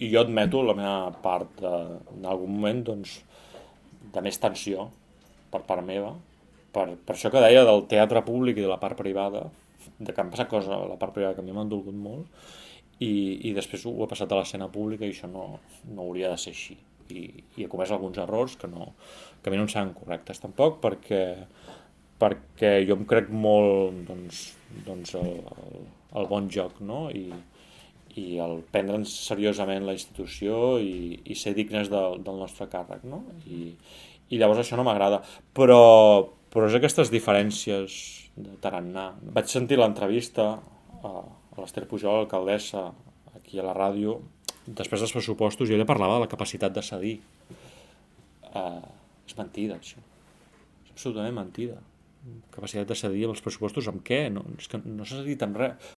i jo admeto la meva part en algun moment doncs, de més tensió per part meva, per això que deia del teatre públic i de la part privada, de que han passat coses a la part privada que a mi m'han dolgut molt, i després ho he passat a l'escena pública i això no hauria de ser així. I he comès alguns errors que a mi no em semblen correctes tampoc, perquè jo em crec molt el bon joc, no? I el prendre'ns seriosament la institució i ser dignes del nostre càrrec, no? I llavors això no m'agrada. Però és aquestes diferències de tarannà. Vaig sentir l'entrevista a l'Ester Pujol, alcaldessa, aquí a la ràdio, després dels pressupostos, i ella parlava de la capacitat de cedir. És mentida, això. És absolutament mentida. Capacitat de cedir amb els pressupostos amb què? No, és que no s'ha cedit amb res.